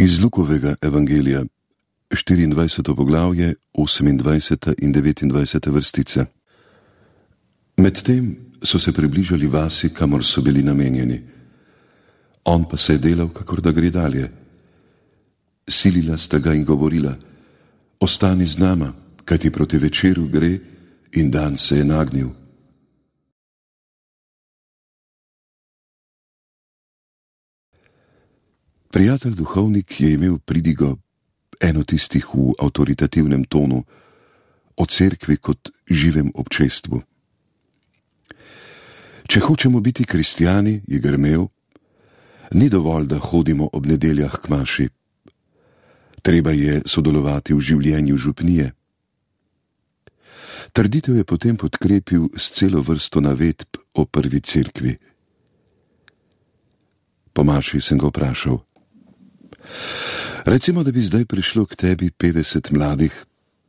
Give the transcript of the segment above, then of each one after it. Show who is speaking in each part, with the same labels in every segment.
Speaker 1: Iz Lukovega evangelija, 24. poglavje, 28. in 29. vrstice. Medtem so se približali vasi, kamor so bili namenjeni. On pa se je delal, kakor da gre dalje. Silila sta ga in govorila: ostani z nama, kajti proti večeru gre in dan se je nagnil. Prijatelj duhovnik je imel pridigo, eno tistih v avtoritativnem tonu, o cerkvi kot živem občestvu. Če hočemo biti kristjani, je grmel, ni dovolj, da hodimo ob nedeljah k maši. Treba je sodelovati v življenju župnije. Trditev je potem podkrepil s celo vrsto navedb o prvi cerkvi. Po maši sem ga vprašal: recimo, da bi zdaj prišlo k tebi 50 mladih,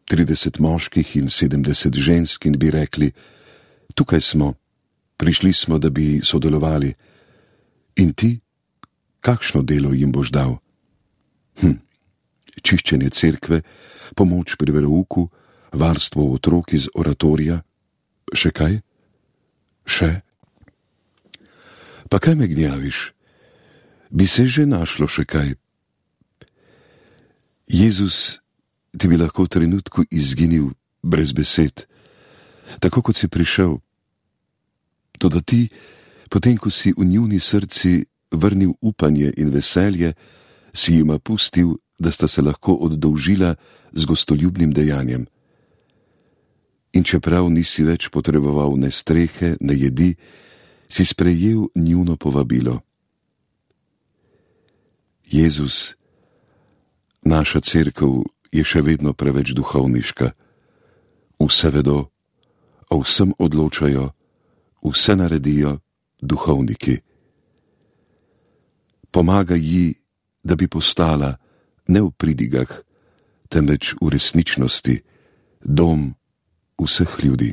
Speaker 1: 30 moških in 70 žensk in bi rekli: tukaj smo, prišli smo, da bi sodelovali. In ti, kakšno delo jim boš dal? Čiščenje cerkve, pomoč pri verouku, varstvo otrok iz oratorija. Še kaj? Še? Pa kaj me gnjaviš? Bi se že našlo še kaj? Jezus ti bi lahko v trenutku izginil brez besed, tako kot si prišel. Toda ti, potem ko si v njuni srci vrnil upanje in veselje, si jima pustil, da sta se lahko oddolžila z gostoljubnim dejanjem. In čeprav nisi več potreboval ne strehe, ne jedi, si sprejel njuno povabilo. Jezus, naša cerkev je še vedno preveč duhovniška. Vse vedo, o vsem odločajo, vse naredijo duhovniki. Pomagaj ji, da bi postala, ne v pridigah, temveč v resničnosti, dom vseh ljudi.